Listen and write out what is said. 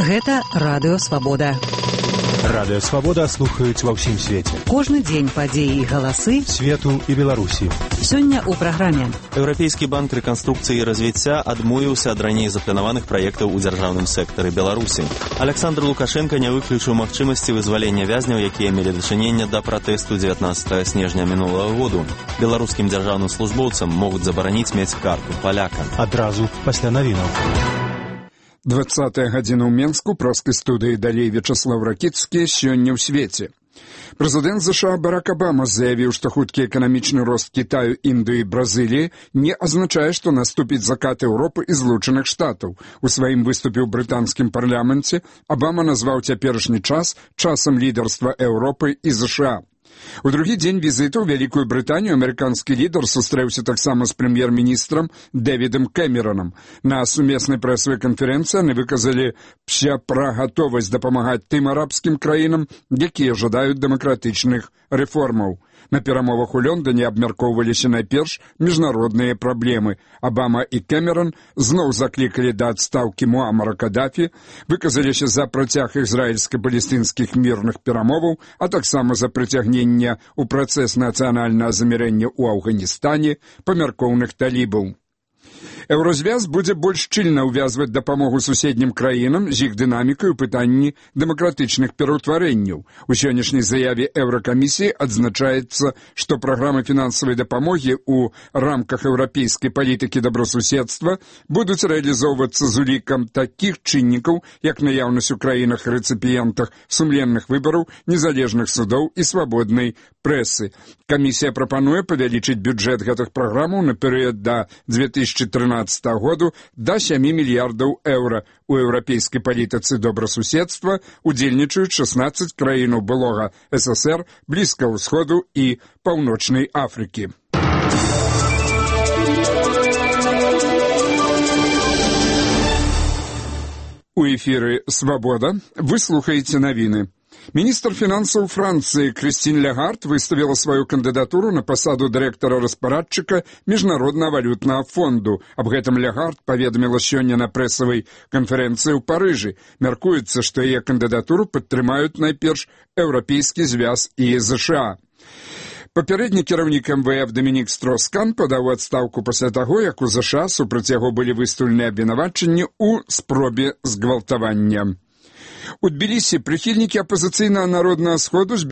Гэта Радыё Свабода. Радыё Свабода слухаюць ва ўсім свеце. Кожны дзень падзеі і галасы свету і Беларусі. Сёння ў праграме. Еўрапейскі банк рэканструкцыі і развіцця адмовіўся ад раней запланаваных праектаў у дзяржаўным сектары Беларусі. Александр Лукашенко не выключыў магчымасці вызвалення вязняў, якія мелі дачыненне да пратэсту 19 снежня мінулага году. Беларускім дзяржаўным службоўцам могуць забараніць мець карту паляка. Адразу пасля навінаў. 20-я гадзіна ў Менску, праскай студыі далей Вячаслав Ракіцкі, сёння ў свеце. Прэзідэнт ЗША Барак Абама заявіў, што хуткі эканамічны рост Кітаю, Індыі і Бразыліі не азначае, што наступіць закат Еўропы і Злучаных Штатаў. У сваім выступе ў брытанскім парламенце Абама назваў цяперашні час часам лідарства Еўропы і ЗША. У другі дзень візіту ў Вялікую Брытанію амерыканскі лідар сустрэўся таксама з прэм'ер-міністрам Дэвідам Кэмеронам. На сумеснай прэсавай канферэнцыі яны выказалі пра гатовасць дапамагаць тым арабскім краінам, якія жадаюць дэмакратычных рэформаў. На перамовах у Лондоне абмяркоўваліся найперш міжнародныя праблемы. Абама і Кэмерон зноў заклікалі да адстаўкі Муамара Кадафі, выказаліся за працяг ізраільска-палестынскіх мірных перамоваў, а таксама за прыцягнення ў працэс нацыянальнага замірэння ў Афганістане памяркоўных талібаў. Еўразвяз будзе больш шчыльна ўвязваць дапамогу суседнім краінам з іх дынамікай у пытанні дэмакратычных пераўтварэнняў. У сённяшняй заяве Еўракамісіі адзначаецца, што праграмы фінансавай дапамогі ў рамках еўрапейскай палітыкі добрасуседства будуць рэалізоўвацца з улікам такіх чыннікаў, як наяўнасць у краінах-рэцыпіентах сумленных выбараў, незалежных судоў і свабоднай прэсы. Камісія прапануе павялічыць бюджэт гэтых праграмаў на перыяд да 2013 году да 7 мільярдаў еўра. У еўрапейскай палітыцы добрасуседства удзельнічаюць 16 краінаў былога ССР, Блізкага ўсходу і Паўночнай Афрыкі. У эфіры «Свабода» вы слухаеце навіны. Міністр фінансаў Францыі Крыстін Лягард выставіла сваю кандыдатуру на пасаду дырэктара-распарадчыка Міжнароднага валютнага фонду. Аб гэтым Лягард паведаміла сёння на прэсавай канферэнцыі ў Парыжы. Мяркуецца, што яе кандыдатуру падтрымаюць найперш Еўрапейскі звяз і ЗША. Папярэдні кіраўнік МВФ Дамінік Строскан падаў адстаўку пасля таго, як у ЗША супраць яго былі выстаўлены абвінавачанні ў спробе згвалтавання. У Тбілісі прыхільнікі апазіцыйнага народнага сходу